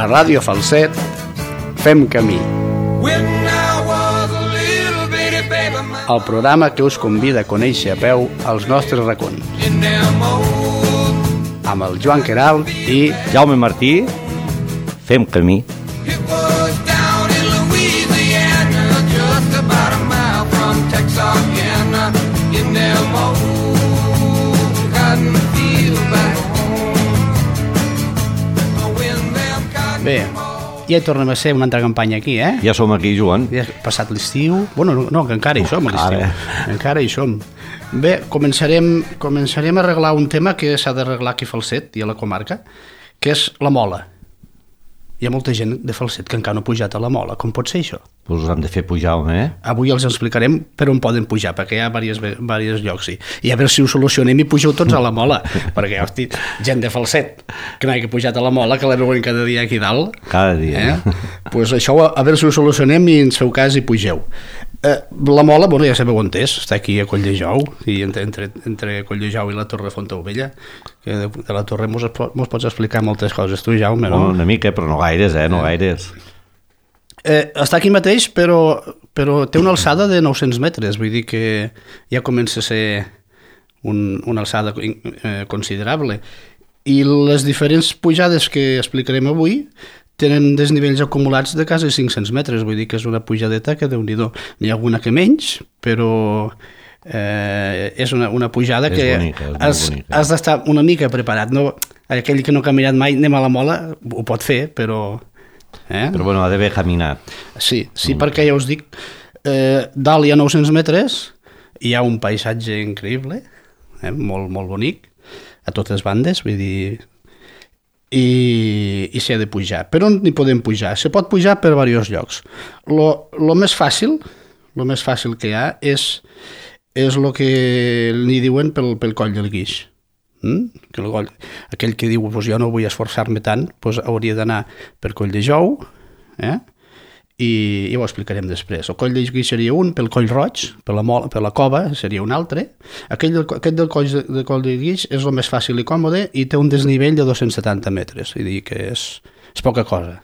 A Ràdio Falset fem camí. El programa que us convida a conèixer a peu els nostres racons. Amb el Joan Queralt i Jaume Martí, fem camí. Bé, ja hi tornem a ser una altra campanya aquí, eh? Ja som aquí, Joan. Ja ha passat l'estiu. Bueno, no, que encara hi som a l'estiu. Encara hi som. Bé, començarem a arreglar un tema que s'ha d'arreglar aquí a Falset i a la comarca, que és la mola. Hi ha molta gent de Falset que encara no ha pujat a la mola. Com pot ser això? Pues us han de fer pujar, home, eh? Avui els explicarem per on poden pujar, perquè hi ha diversos llocs. I a veure si ho solucionem i pugeu tots a la mola, perquè, hosti, gent de Falset que no hagi pujat a la mola, que la veuen cada dia aquí dalt. Cada dia. Pues això, a veure si ho solucionem i ens feu cas i pugeu. La mola, bueno, ja sabeu on és, està aquí a Colldejou, i entre Colldejou i la Torre Fontaubella, que de la Torre mos pots explicar moltes coses, tu, Jaume, no? Una mica, però no gaires, no gaires. Està aquí mateix, però té una alçada de 900 metres, vull dir que ja comença a ser una alçada considerable. I les diferents pujades que explicarem avui tenen desnivells acumulats de quasi 500 metres, vull dir que és una pujadeta que Déu-n'hi-do. N'hi ha alguna que menys, però és una pujada que has d'estar una mica preparat. No, aquell que no ha caminat mai, anem a la mola, ho pot fer, però... Però bueno, ha d'haver caminat. Sí, perquè ja us dic, dalt hi ha 900 metres, hi ha un paisatge increïble, molt, molt bonic, a totes bandes, vull dir... I s'hi ha de pujar. Per on hi podem pujar? Se pot pujar per diversos llocs. Lo més fàcil que hi ha és el que li diuen pel coll del Guix. Aquell que diu, jo no vull esforçar-me tant, hauria d'anar per Colldejou, i ho explicarem després. El coll del Guix seria un, pel Coll Roig, per la cova seria un altre. Aquest del coll del Guix és el més fàcil i còmode i té un desnivell de 270 metres, vull dir que és poca cosa.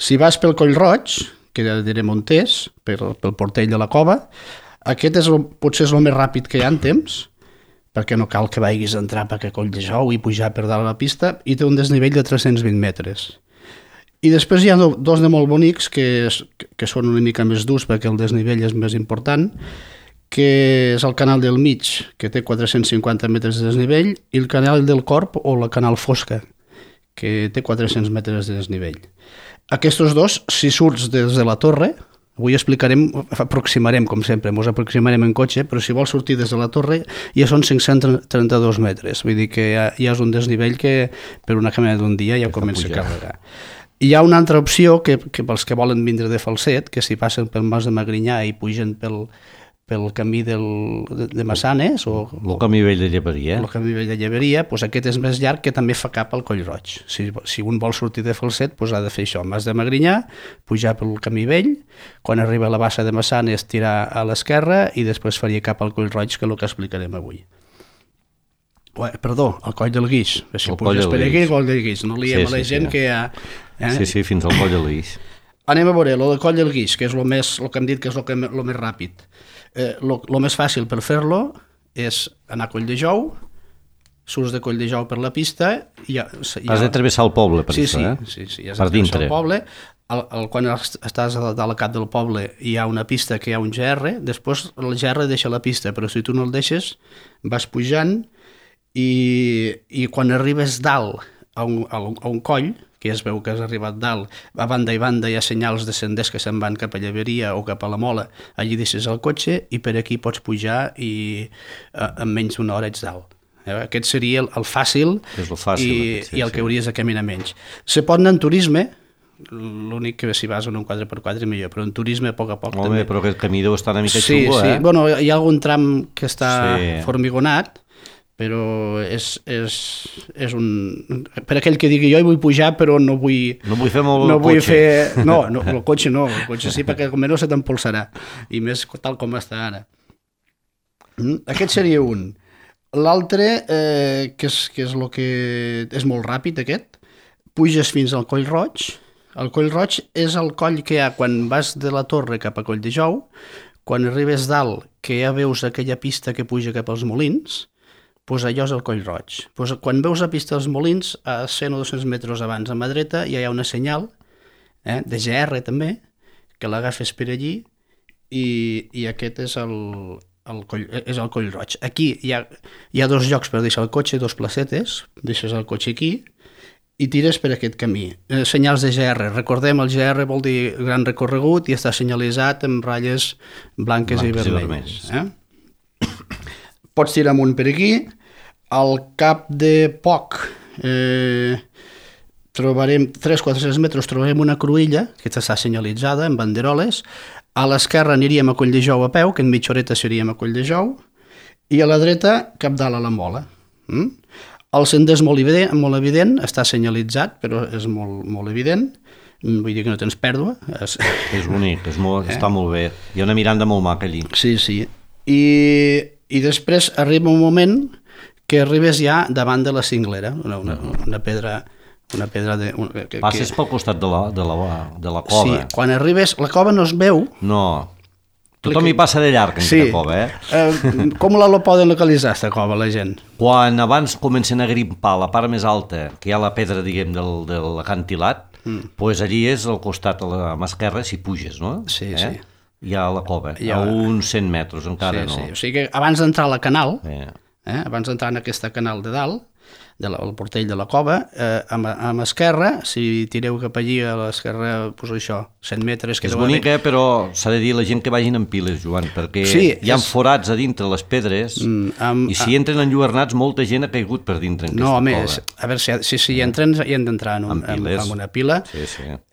Si vas pel Coll Roig, que ja direm on és, pel portell de la cova, aquest potser és el més ràpid que hi ha en temps, perquè no cal que vagis a entrar per Colldejou i pujar per dalt a la pista, i té un desnivell de 320 metres. I després hi ha dos de molt bonics que són una mica més durs perquè el desnivell és més important, que és el Canal del Mig, que té 450 metres de desnivell, i el Canal del Corb o la Canal Fosca, que té 400 metres de desnivell. Aquests dos, si surts des de la torre, avui aproximarem, com sempre, ens aproximarem en cotxe, però si vols sortir des de la torre ja són 532 metres, vull dir que ja és un desnivell que per una caminada d'un dia ja comença a carregar. Hi ha una altra opció que pels que volen vindre de Falset, que si passen pel Mas de Magrinyà i pugen pel camí de Massanes o el camí vell de Lleberia, el camí vell de Lleberia, aquest és més llarg, que també fa cap al Coll Roig. Si un vol sortir de Falset, ha de fer això, Mas de Magrinyà, pujar pel camí vell, quan arriba a la bassa de Massanes tirar a l'esquerra i després faria cap al Coll Roig, que és el que explicarem avui. Perdó, el Coll del Guix. Si puges per aquí, el Coll del Guix. No liem a la gent que hi ha... Sí, fins al Coll del Guix. Anem a veure, el del Coll del Guix, que és el que hem dit que és el més ràpid. El més fàcil per fer-lo és anar a Colldejou, surts de Colldejou per la pista... Has de travessar el poble per això, Sí, has de travessar el poble. Quan estàs a la cap del poble hi ha una pista que hi ha un GR, després el GR deixa la pista, però si tu no el deixes vas pujant i quan arribes dalt a un coll, que es veu que has arribat dalt, a banda i banda hi ha senyals de senders que se'n van cap a Lleberia o cap a la Mola, allí deixes el cotxe i per aquí pots pujar i en menys d'una hora ets dalt. Aquest seria el fàcil i el que hauries de caminar menys. Se pot anar en turisme, l'únic que si vas en un 4x4 millor, però en turisme a poc a poc també. Però aquest camí deu estar una mica xungo, Sí, bueno, hi ha algun tram que està formigonat, però és un... Per aquell que digui jo hi vull pujar però no vull... No vull fer molt el cotxe. No, el cotxe no, el cotxe sí, perquè com no se t'empolsarà, i més tal com està ara. Aquest seria un. L'altre, que és el que és molt ràpid aquest, puges fins al Coll Roig. El Coll Roig és el coll que hi ha quan vas de la Torre cap a Colldejou, quan arribes dalt, que ja veus aquella pista que puja cap als Molins, doncs allò és el Coll Roig. Doncs quan veus la pista dels Molins, a 100 o 200 metres abans a mà dreta, ja hi ha una senyal, de GR també, que l'agafes per allí, i aquest és el Coll Roig. Aquí hi ha dos llocs per deixar el cotxe, dos placetes, deixes el cotxe aquí, i tires per aquest camí. Senyals de GR. Recordem, el GR vol dir gran recorregut i està senyalitzat amb ratlles blanques i vermelles. Pots tirar amunt per aquí. Al cap de poc, trobarem 300-400 metres, trobarem una cruïlla que està senyalitzada amb banderoles. A l'esquerra aniríem a Colldejou a peu, que en mitja horeta seríem a Colldejou, i a la dreta cap dalt a la Mola. El sender és molt evident, està senyalitzat, però és molt evident, vull dir que no tens pèrdua. És bonic, està molt bé. Hi ha una miranda molt maca allí. Sí. I després arriba un moment que arribes ja davant de la Cinglera, una pedra... Passes pel costat de la cova. Sí, quan arribes, la cova no es veu. No, tothom hi passa de llarg en aquesta cova, Com la poden localitzar, aquesta cova, la gent? Quan abans comencen a grimpar la part més alta, que hi ha la pedra, diguem, de l'acantilat, doncs allí és al costat, a la mà esquerra, si puges, no? Sí. Hi ha la cova, a uns 100 metres, encara no. Sí, o sigui que abans d'entrar a la canal, abans d'entrar en aquesta canal de dalt, el portell de la cova, a l'esquerra, si tireu cap allí a l'esquerra, doncs això, 100 metres... És bonica, però s'ha de dir la gent que vagin en piles, Joan, perquè hi ha forats a dintre les pedres i si entren enlluernats, molta gent ha caigut per dintre en aquesta cova. A veure, si hi entren, hi han d'entrar en una pila,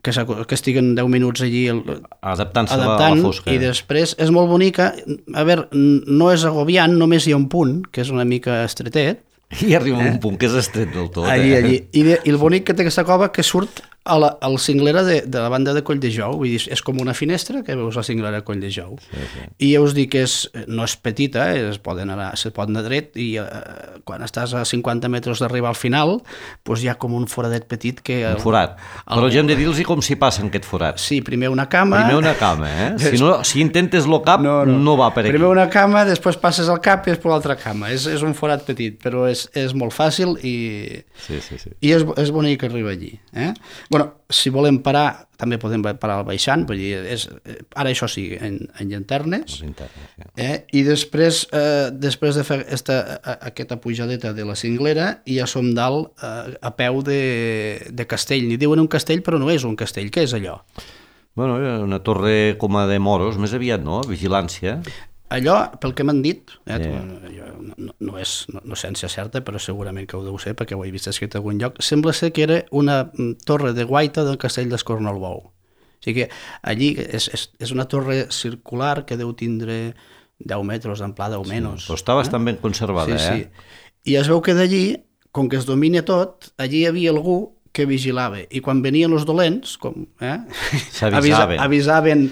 que estiguen 10 minuts allí adaptant-se a la fosca. I després és molt bonica. A veure, no és agobiant, només hi ha un punt, que és una mica estretet, i arriba un punt que és estret del tot. Allí. I el bonic que té aquesta cova que surt a la cinglera de la banda de Colldejou, vull dir, és com una finestra que veus la cinglera de Colldejou. I ja us dic que no és petita, se pot anar dret, i quan estàs a 50 metres d'arribar al final, doncs hi ha com un foradet petit que... Un forat. Però ja hem de dir-los com s'hi passa en aquest forat. Sí, primer una cama... Si intentes el cap, no va per aquí. Primer una cama, després passes al cap i després l'altra cama. És un forat petit, però és molt fàcil i és bonic arribar allí. Bueno, si volem parar, també podem parar al baixant, vull dir, ara això sí, en llanternes, i després de fer aquesta pujadeta de la cinglera, ja som dalt a peu de castell. N'hi diuen un castell, però no és un castell. Què és allò? Bueno, una torre com a de moros, més aviat, no? Vigilància. Allò, pel que m'han dit, no és ciència certa, però segurament que ho deu ser, perquè ho he vist escrit a algun lloc, sembla ser que era una torre de guaita del castell d'Escornalbou. O sigui que allí és una torre circular que deu tindre 10 metres d'amplada o menys. Però està bastant ben conservada, Sí. I es veu que d'allí, com que es domina tot, allí hi havia algú que vigilava, i quan venien els dolents, avisaven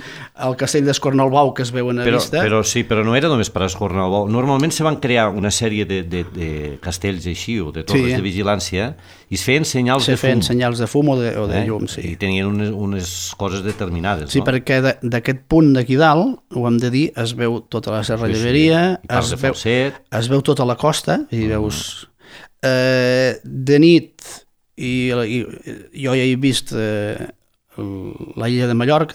el castell d'Escornalbou que es veuen a vista. Però no era només per Escornalbou. Normalment se van crear una sèrie de castells així, o de torres de vigilància, i es feien senyals de fum. Se feien senyals de fum o de llum, sí. I tenien unes coses determinades, no? Sí, perquè d'aquest punt d'aquí dalt, ho hem de dir, es veu tota la Serra Lleberia, es veu tota la costa, i veus... De nit, i jo ja he vist la illa de Mallorca,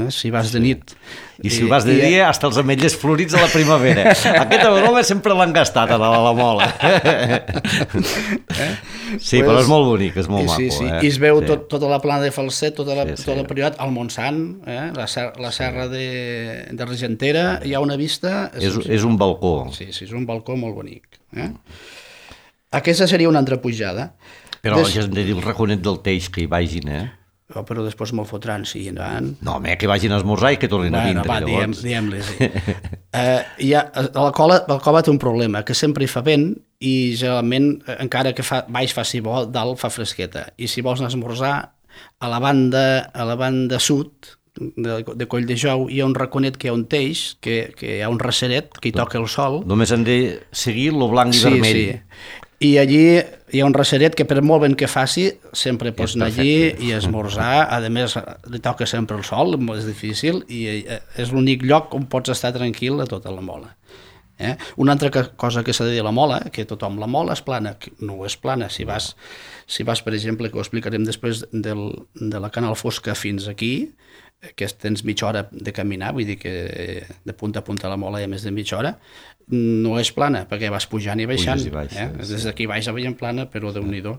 si vas de nit... I si vas de dia, hasta els ametllers florits a la primavera. Aquesta broma sempre l'han gastat a la Mola. Sí, però és molt bonic, és molt maco. I es veu tota la plana de Falset, tota la Priorat, el Montsant, la serra de Regentera, hi ha una vista... És un balcó. Sí, és un balcó molt bonic. Aquesta seria una altra pujada. Però ja hem de dir el raconet del Teix, que hi vagin, però després me'l fotran, sí, endavant. No, home, que vagin a esmorzar i que tornin a vindre, llavors. Diguem-li, sí. La cova té un problema, que sempre hi fa vent i generalment, encara que baix faci bo, dalt fa fresqueta. I si vols anar a esmorzar, a la banda sud de Colldejou hi ha un raconet que hi ha un teix, que hi ha un receret que hi toca el sol. Només han de seguir lo blanc i vermell. Sí. I allí hi ha un receret que per molt ben que faci sempre pots anar allí i esmorzar. A més, li toca sempre el sol, és difícil, i és l'únic lloc on pots estar tranquil a tota la Mola. Una altra cosa que s'ha de dir a la Mola, que tothom la Mola és plana, no és plana. Si vas, per exemple, que ho explicarem després, de la Canal Fosca fins aquí, que tens mitja hora de caminar, vull dir que de punta a punta a la Mola hi ha més de mitja hora, no és plana, perquè vas pujant i baixant. Des d'aquí baix veiem plana, però Déu-n'hi-do.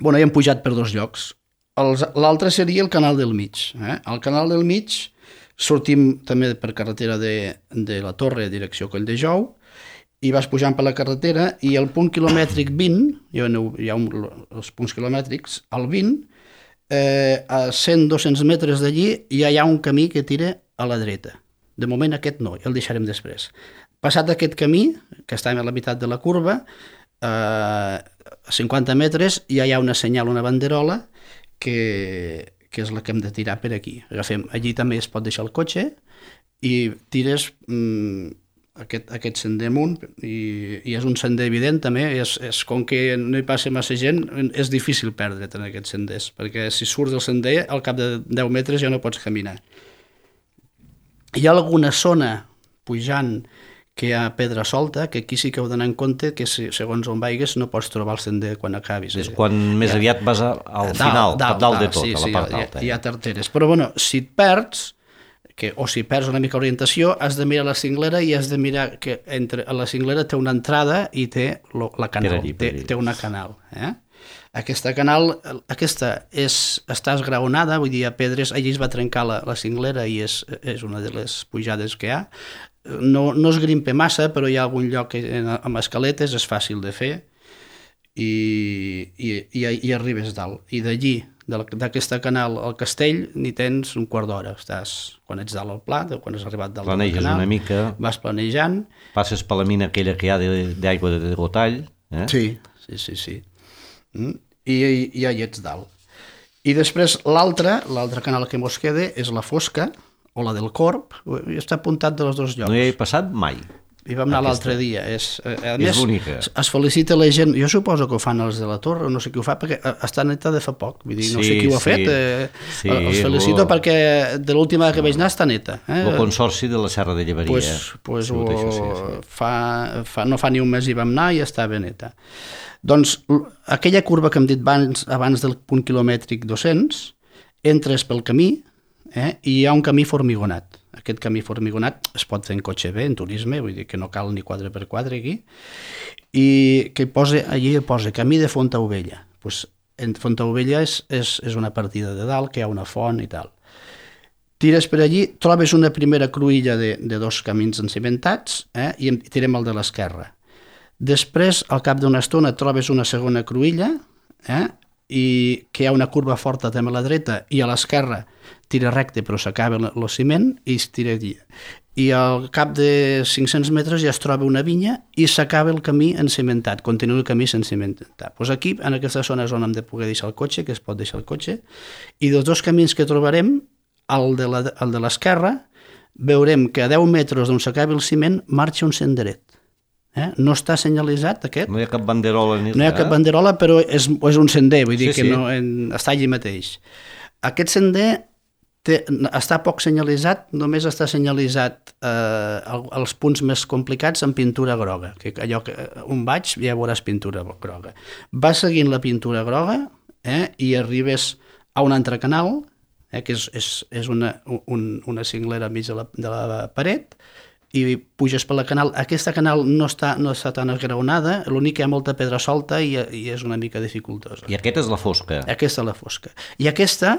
Bueno, hi hem pujat per 2 llocs. L'altre seria el Canal del Mig. Al Canal del Mig sortim també per carretera de la Torre, direcció Colldejou, i vas pujant per la carretera, i al punt quilomètric 20, hi ha els punts quilomètrics, al 20, a 100-200 metres d'allí ja hi ha un camí que tira a la dreta. De moment aquest no, ja el deixarem després. Passat aquest camí, que està a la meitat de la curva, a 50 metres ja hi ha una senyal, una banderola, que és la que hem de tirar per aquí. Allí també es pot deixar el cotxe i tires aquest sender amunt, i és un sender evident també, com que no hi passa massa gent, és difícil perdre't en aquests senders, perquè si surts del sender, al cap de 10 metres ja no pots caminar. Hi ha alguna zona pujant que hi ha pedra solta, que aquí sí que heu d'anar en compte que segons on vaigues no pots trobar el sender quan acabis. És quan més aviat vas al final, dalt de tot, a la part alta. Hi ha tarteres. Però bueno, si et perds, o si perds una mica orientació, has de mirar la cinglera, i has de mirar que la cinglera té una entrada i té la canal, té una canal. Aquesta canal, està esgraonada, vull dir, a pedres, allí es va trencar la cinglera i és una de les pujades que hi ha. No es grimpa massa, però hi ha algun lloc amb escaletes, és fàcil de fer, i arribes dalt. I d'allí, d'aquesta canal al castell, n'hi tens un quart d'hora. Quan ets dalt al pla, quan has arribat dalt al canal, planeges una mica, vas planejant. Passes per la mina aquella que hi ha d'aigua de Gotall. Sí. I ja hi ets dalt. I després l'altre canal que mos queda és la Fosca, o la del Corb, i està apuntat de les 2 llocs. No hi he passat mai. Hi vam anar l'altre dia. A més, bonica. Es felicita la gent, jo suposo que ho fan els de la Torre, no sé qui ho fa, perquè està neta de fa poc, vull dir, no sé qui ho ha fet, els felicito perquè de l'última que vaig anar està neta. El Consorci de la Serra de Llevaria. No fa ni un mes hi vam anar i està ben neta. Doncs aquella curva que hem dit abans del punt quilomètric 200, entres pel camí, i hi ha un camí formigonat. Aquest camí formigonat es pot fer en cotxe bé, en turisme, vull dir que no cal ni 4x4 aquí, i que allí posa camí de Fontaubella. En Fontaubella és una partida de dalt, que hi ha una font i tal. Tires per allí, trobes una primera cruïlla de 2 camins encimentats, i tirem el de l'esquerra. Després, al cap d'una estona, trobes una segona cruïlla, i que hi ha una curva forta també a la dreta, i a l'esquerra tira recte però s'acaba el ciment i es tira allí. I al cap de 500 metres ja es troba una vinya i s'acaba el camí encimentat, continua el camí sense cimentar. Aquí, en aquesta zona és on hem de poder deixar el cotxe, que es pot deixar el cotxe, i dels 2 camins que trobarem, el de l'esquerra, veurem que a 10 metres d'on s'acaba el ciment marxa un senderet. No està senyalitzat aquest. No hi ha cap banderola ni res. No hi ha cap banderola, però és un sender, vull dir que no, està allí mateix. Aquest sender està poc senyalitzat, només està senyalitzat els punts més complicats amb pintura groga, que allò que on vaig ja veuràs pintura groga. Vas seguint la pintura groga i arribes a un altre canal, que és una cinglera enmig de la paret, i puges per la canal. Aquesta canal no està tan esgraonada, l'únic que hi ha molta pedra solta i és una mica dificultosa. I aquesta és la Fosca. Aquesta és la Fosca. I aquesta,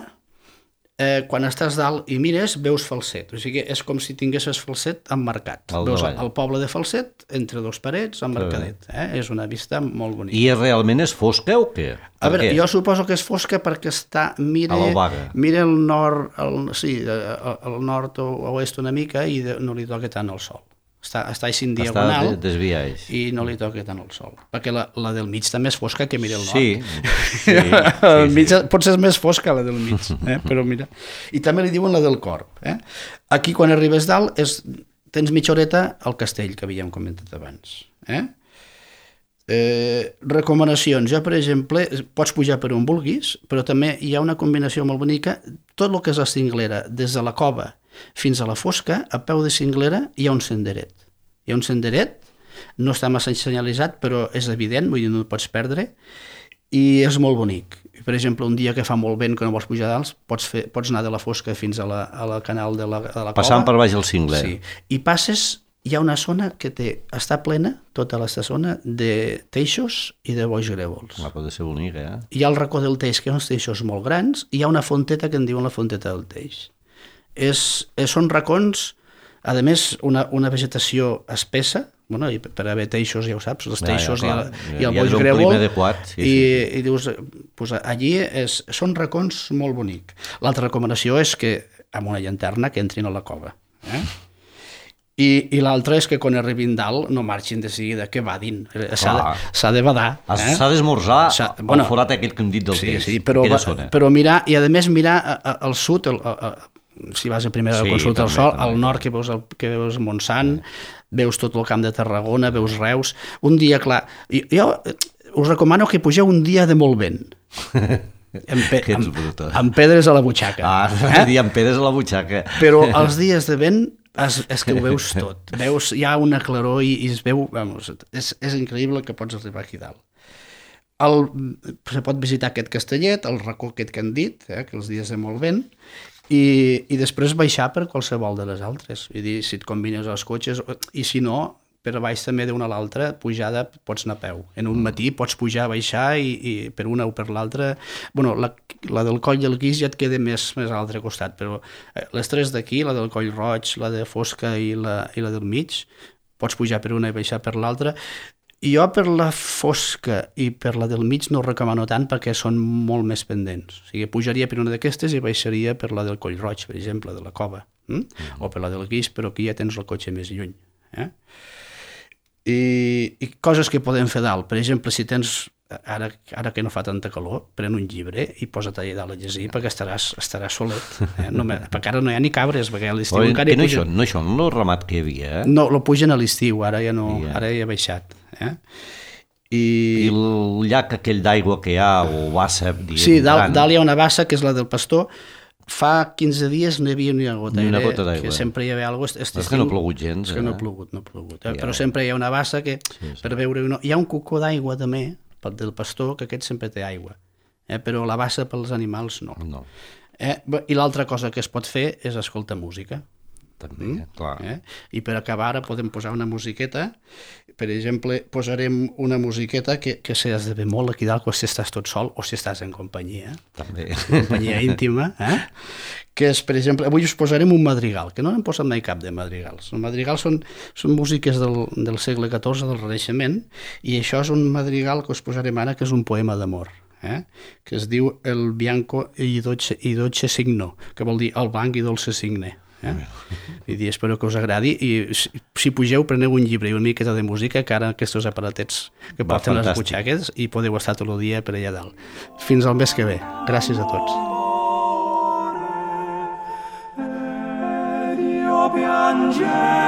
quan estàs dalt i mires, veus Falset. O sigui, és com si tinguessis Falset emmarcat. Veus el poble de Falset entre 2 parets emmarcadet. És una vista molt bonica. I realment és fosca o què? A veure, jo suposo que és fosca perquè mira el nord, el nord o oest una mica i no li toca tant el sol. Està així en diagonal i no li toca tant el sol. Perquè la del mig també és fosca que mira el nord. Sí. Potser és més fosca la del mig, però mira. I també li diuen la del Corb. Aquí quan arribes dalt tens mitja horeta al castell que havíem comentat abans. Recomanacions. Jo, per exemple, pots pujar per on vulguis, però també hi ha una combinació molt bonica. Tot el que és la cinglera, des de la cova fins a la fosca, a peu de cinglera hi ha un senderet. Hi ha un senderet, no està massa senyalitzat, però és evident, vull dir, no el pots perdre, i és molt bonic. Per exemple, un dia que fa molt vent, que no vols pujar dalt, pots anar de la fosca fins a la canal de la cova. Passant per baix el cingler. Sí. I passes, hi ha una zona que està plena, tota aquesta zona, de teixos i de boix grèvols. Pot ser bonic, eh? Hi ha el racó del teix, que hi ha uns teixos molt grans, i hi ha una fonteta que en diuen la fonteta del teix. Són racons, a més, una vegetació espessa, bueno, i per haver teixos, ja ho saps, els teixos i el boix grèvol, i dius, pues, allí són racons molt bonics. L'altra recomanació és que amb una llanterna que entrin a la cova. I l'altra és que quan arribin dalt no marxin de seguida, que vadin. S'ha de badar. S'ha d'esmorzar el forat aquell que hem dit del teix. Sí, però mirar, i a més mirar al sud, si vas a primera consulta al sol, al nord que veus Montsant, veus tot el camp de Tarragona, veus Reus. Un dia, clar, jo us recomano que pugeu un dia de molt vent. Amb pedres a la butxaca. Amb pedres a la butxaca. Però els dies de vent és que ho veus tot. Hi ha una claror i es veu, és increïble que pots arribar aquí dalt. Se pot visitar aquest castellet, el racó aquest que han dit, que els dies de molt vent, i després baixar per qualsevol de les altres. Vull dir, si et combines els cotxes, i si no, per baix també d'una a l'altra, pujada pots anar a peu. En un matí pots pujar, baixar, i per una o per l'altra. Bueno, la del Coll del Guix ja et queda més a l'altre costat, però les tres d'aquí, la del Coll Roig, la de Fosca i la del mig, pots pujar per una i baixar per l'altra. I jo per la Fosca i per la del mig no ho recomano tant perquè són molt més pendents. O sigui, pujaria per una d'aquestes i baixaria per la del Coll Roig, per exemple, de la cova. O per la del Guix, però aquí ja tens el cotxe més lluny. I coses que podem fer dalt. Per exemple, si tens, ara que no fa tanta calor, pren un llibre i posa't allà dalt a llegir perquè estaràs solet. Perquè ara no hi ha ni cabres, perquè a l'estiu encara hi pugen. No, això no el ramat que hi havia, No, lo pugen a l'estiu, ara ja no, ara ja ha baixat. I el llac aquell d'aigua que hi ha, o bassa... Sí, dalt hi ha una bassa que és la del Pastor. Fa 15 dies no hi havia ni una gota d'aigua. Que sempre hi havia alguna cosa... És que no ha plogut gens. És que no ha plogut. Però sempre hi ha una bassa que, per veure... Hi ha un cocó d'aigua també, del Pastor, que aquest sempre té aigua. Però la bassa pels animals no. I l'altra cosa que es pot fer és escoltar música. També, clar. I per acabar ara podem posar una musiqueta. Per exemple, posarem una musiqueta que s'has de fer molt aquí dalt si estàs tot sol o si estàs en companyia. També. Companyia íntima. Que és, per exemple, avui us posarem un madrigal, que no n'hem posat mai cap de madrigals. Els madrigals són músiques del segle XIV, del Renaixement, i això és un madrigal que us posarem ara, que és un poema d'amor. Que es diu El bianco i dolce signo, que vol dir el blanc i dolce signe. I espero que us agradi, i si pugeu preneu un llibre i una miqueta de música, que ara aquests aparatets que porten les butxaques, i podeu estar tot el dia per allà dalt. Fins al mes que ve. Gràcies a tots. Piangere